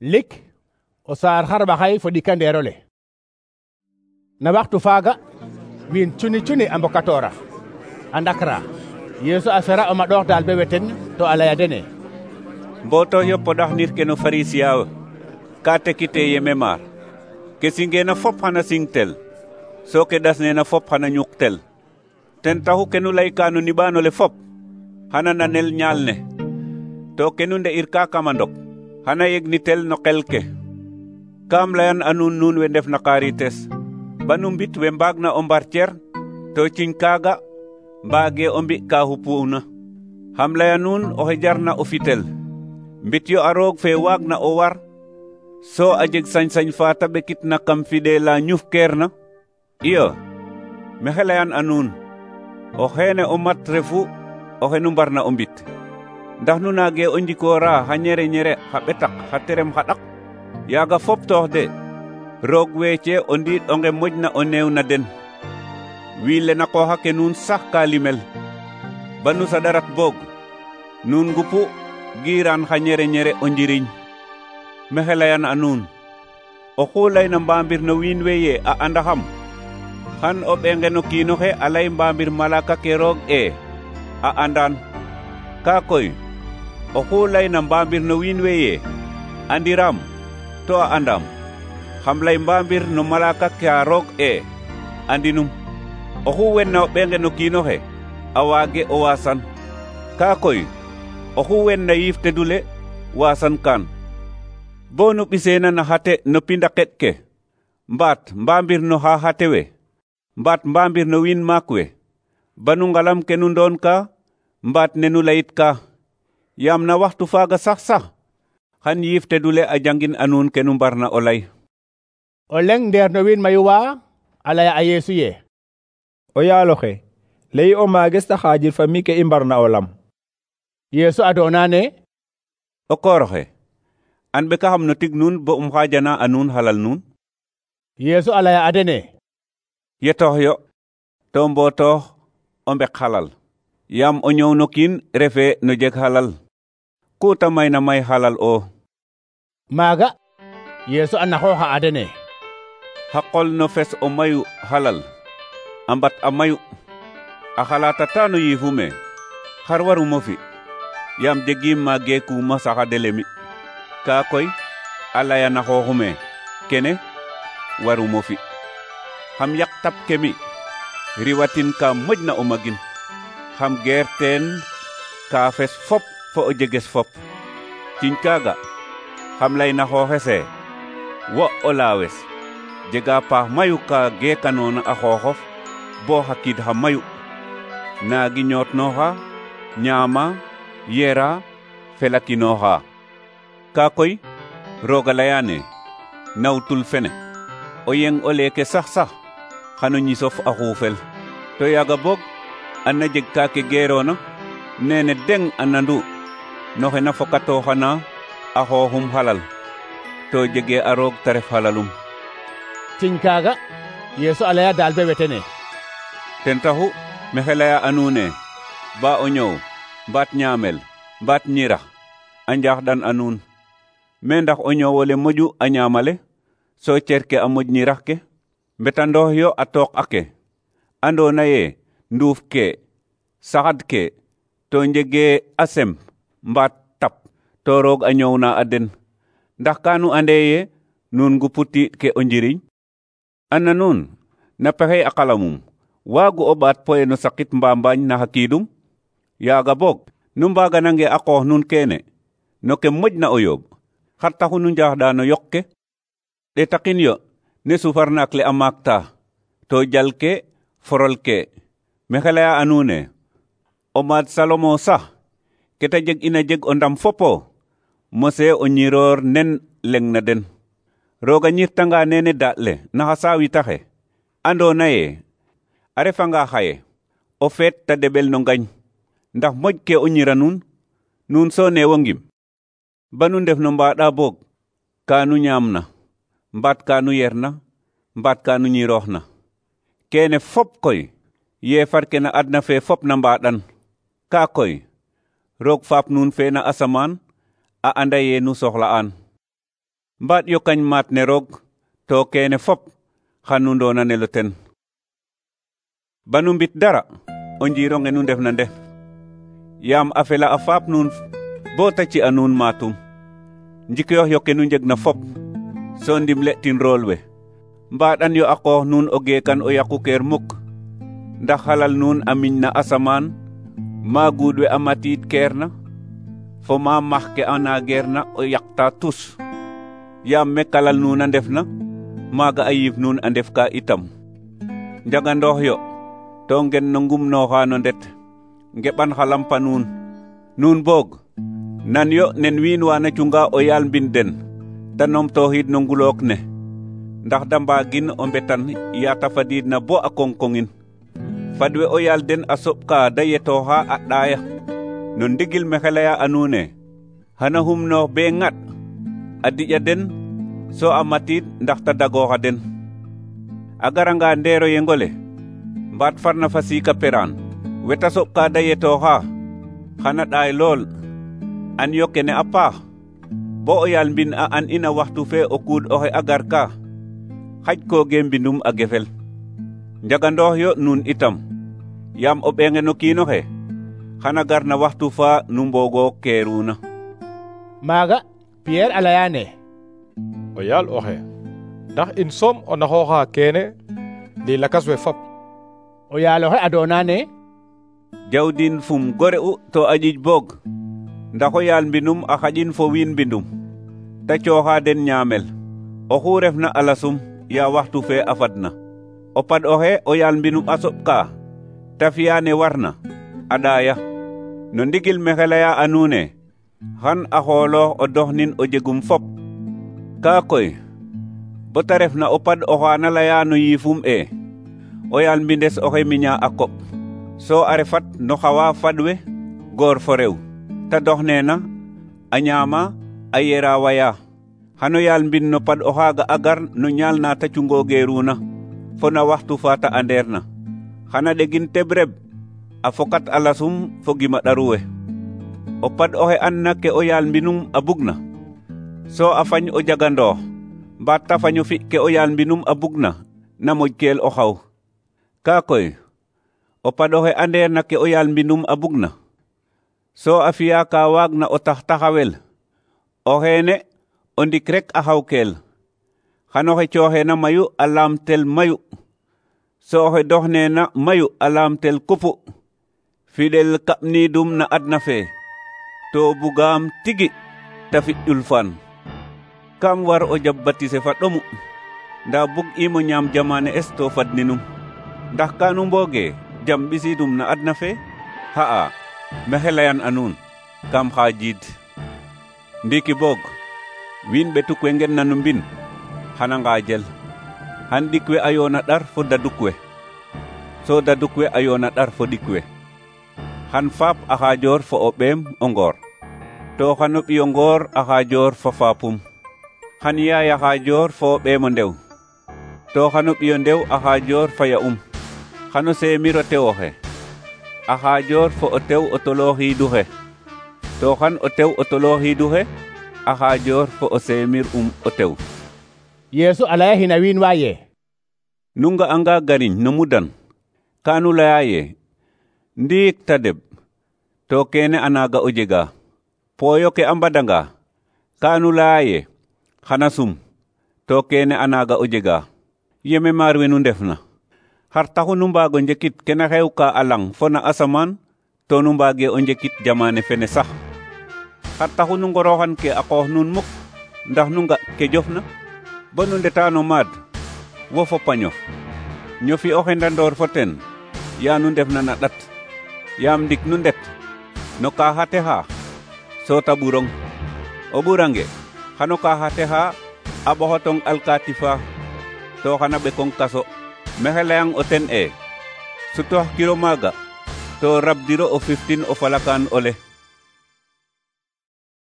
lik o saar xarɓaxay fo ɗikandeerole. Na waxtu faaga wiin cuni a mbokatoora a ndakra. Yeesu a fera o maɗoox daal be weten to a laya dene: mboto yo poɗaxnir ke no Farisiya ka tekite yeme maar ke singeena fop xana singtel so ke ɗasneena fop xana ñuqtel. ten taxu ke nu layka no niɓaanole fop xana nanel ñaal ne, to ke nu nde'irka kama ndok xana yegnitel no qel ke. Kaam layan a nuun we ndef na Xarites banu mbit we mbaagna o mbarcer to ciñ kaaga mbaage o mbi ka xupuuna. xam laya nuun oxe jarna o fitel mbit yo a roog fe waagna o war so a jeg sañ-sañ fa ta ɓekitna kam fidela ñufkeerna. iyo maxey layan a nuun o xeene o mat refu oxe nu mbarna o mbit. ndax nu naage o njikoora xa ñere xa ɓetak xa terem xa ɗak? yaaga fop toox de roog weece o ndiit onge moƴna o neew na den. wiin le na qooxa ke nuun sax ka limel banu saɗarat boog nuun ngupu giiraan xa ñere o njiriñ. maxey layan a nuun oxu layna mbaambir no wiin we ye a andaxam xan o ɓenge no kiinoxe a lay mbaambir malaka ke roog a andaan. kaa koy oxu layna mbaambir no wiin we ye andiraam to a andaam xam lay mbaambir no malaka ka roog andinum. oxu wenna o ɓenge no kiinoxe a waage o waasan. kaa koy oxu wenna yiif tedule waasan kaan. bo nu ɓiseena na xate no pindaqet ke mbaat mbaambir no xa xate we mbaat mbaambir no wiin maak we banu ngalam ke nu ndoon ka mbaat ne nu layit ka. yaam na waxtu faaga sax xan yiif tedule a jangin a nuun ke nu mbarna o lay. o leng ndeer no wiin mayu wa a laya a Yeesu ye: o yaaloxe leyi o maages ta xaajir fa mi ke i mbarna o lam. Yeesu adoona ne: o kooroxe an ɓekaxam no tig nuun bo xaajana a nuun xalal nuun. Yeesu a laya a dene: yetoox yo to mbotoox o mbek xalal, yaam o ñoow no kiin refe no jeg xalal ku ta mayna may xalal o. maaga Yeesu a naxooxa a dene: xa qol no fes o mayu xalal a mbat a mayu a xalatata no yiifume xar warumo fi, yaam jegiim ma geekuma saxadele mi. kaa koy a laya na xooxume kene warumo fi. xam yaq tap ke mi riwatin ka moƴna o magin, xam geer teen kaafes fop fo o jeges fop. ciñ kaaga xam lay na xooxese wo o laawes jega paax mayu ka geekanoona a xooxof bo xa kiid xa mayu, naagi ñootnooxa ñaama yera felakinooxa. kaa koy rooga layaane nawtul fene o yeng o leeke sax xano ñisof a xuufel. to yaaga boog ana jeg ka ke geeroona nene deng a nandu noxe na fokatooxana a xooxum xalal to jege a roog ta ref xalalum. ciñ kaaga Yeesu a laya daal be wetene: ten taxu maxey laya a nuune ba o ñoow mbaat ñaamel mbaat ñirax a njaaxɗan a nuun. me ndax o ñoowole moƴu a ñaamale so cer ke a moƴ ñirax ke? mbetandoox yo a tooq ake andoona ye nduuf ke saxad ke to njege a sem mbaat tap to roog a ñoowna a den. ndax kaanu ande ye nuun ngupu tiiɗ ke o njiriñ? ana nuun na pexey a qalamum waagu o ɓaat poye no saqit mbambaañ na xa kiidum? yaaga boog nu mbaaganange a qoox nuun keene no ke moƴna o yooɓ, xar taxu nu njaaxɗa no yoq ke? ɗetaqin yo ne sufar naak le a maakta to jal ke forol ke. maxey laya a nuune o maad Salomo sax ke ta jeg ina jeg o ndam fopo mose o ñiroor nen leng na den. rooga ñirtanga nene daaɗ le na xa saawitaxe andoona ye a refanga xaye o feet ta deɓel no ngañ, ndax moƴ ke o ñira nuun so neewo ngim. banu ndef no mbaɗa boog kaanu ñaamna mbaat kaanu yerna mbaat kaanu ñirooxna. keene fop koy yeefar ke na adna fe fop na mbaɗan. kaa koy roog faap nuun fe na asamaan a anda ye nu soxla'aan. mbaat yo kañ maat ne roog to kene fop xanu ndonanelo ten. Banu mbit dara o njironge nu ndef na ndef yaam a fela a faap nuun bo ta ci a nuun maatum. Njikoox yo ke nu njeg na fop so ndimle tin rool we. Mbaɗan yo a qoox nuun o geekan o yaqukeer muk ndax xalal nuun a miñ na asamaan ma guud we a matiid keer na fo ma max ke a naageer na o yaqta tus. Yaam me kalal nuun a ndef na maaga a yiif nuun a ndef ka itam. Njagandoox yo to ngen no ngumnooxa no ndet ngeɓan xa lampa nuun. Nuun boog nan yo nen wiin wa na cunga o yaal mbin den ta numtooxiid no ngulook ne ndax da mbaagin o mbetan yaata fadiid na bo a koŋkoŋin. Fadwe o yaal den a soɓka da yetooxa a ɗaaya no ndigil me xelaya a nuune xana xumnoox be ŋat a diƴa den so a matiid ndax ta dagooxa den. A garanga ndeero yengole mbaat farna fa siika peraan weta soɓka da yetooxa xana ɗaay lool. An yo kene a paax bo o yaal mbin a an ina waxtu fe o kuud oxe a gar ka xaj kooge mbindum a gefel. Njagandoox yo nuun itam yaam o ɓeenge no kiinoxe xana gar na waxtu fa nu mboogo keeruna. Maaga Pierre a layane o yaal oxe ndax in soom o naxooxa kene ndi lakas we fop. o yaal oxe a doonane Jawdin fum gore u to a ƴiƴ boog ndax o yaal mbinum a xaƴin fo wiin mbindum ta cooxa den ñaamel. Oxu refna a lasum ya waxtu fe a fadna. O pad oxe o yaal mbinum a soɓka ta fi'a ne warna a ɗaaya. No ndigil me xelaya a nuune xan a xooloox o doxnin o jegum fop. Kaa koy bo ta refna o pad oxa na laya no yiifum o yaal mbindes oxe miña a koɓ so a refat no xawa fadwe goor fo rew ta doxneena a ñaama a yera waya. Xano yaal mbin no pad oxaaga a gar no ñaal na ta cungoogeeruna fo na waxtu fa ta andeer na. Xana ɗegin teb reb a fokat a lasum fo gima ɗaruwe. O pad oxe anna ke o yaal mbinum a bugna so a fañ o jagandoox mbaat ta faño fi ke o yaal mbinum a bugna na moƴkeel o xaw. Kaa koy o pad oxe andeer na ke o yaal mbinum a bugna so a fi'a ka waagna o tax taxawel o xeene o ndik rek a xawkeel. Xan oxe cooxeena mayu a laamtel mayu so oxe doxneena mayu a laamtel kupu. Fiɗel kaɓniidum na adna fe to bugaam tigi ta fi ƴulfaan. Kam war o jab batise fa ɗomu nda bug imo ñaam jamane es to fadninum. Ndax kanu mbooge jam ɓisiidum na adna fe? Ha'a maxey layan a nuun kam xaajiid. Ndiiki boog wiin ɓetuk we ngen na no mbin xana ngaajel. Xan ɗik we a yoona ɗar fo daduk we so daduk we a yoona ɗar fo ɗik we. Xan faap a xaajoor fo o ɓeem o ngoor to xano ɓiyo ngoor a xaajoor fo faapum. Xan yaay a xaajoor fo o ɓeem o ndew to xano ɓiyo ndew a xaajoor fa ya'um. Xano seemir o tew oxe a xaajoor fo o tew o tolooxiidu xe to xan o tew o tolooxiidu xe a xaajoor fo o seemir o tew. Yeesu a laya hina wiin wa ye Nu nga'anga gariñ no mudan kanu laya ye ndiik ta deɓ to kene a naaga o jega. Pooyo ke a mbadanga kanu laya ye xana sum to kene a naaga o jega. Yeme maar we nu ndefna xar taxu nu mbaago njekit kena xewka a lang fo na asamaan to nu mbaage o njekit jamane fene sax. Xar taxu nu ngoroxan ke a qoox nuun muk ndax nu nga ke jofna bo nu ndeta no maad wo fo pañof ñofi o xendandoor fo ten ya nu ndefna na ɗat. Yaam ndik nu ndet no ka xa texa so ta ɓurong. O ɓurange xano ka xa texa a ɓoxotong alkaati fa to xana ɓekong kaso. Maxey layang o ten sutoox kiro maaga to rabdiro o fiftin o falakaan ole.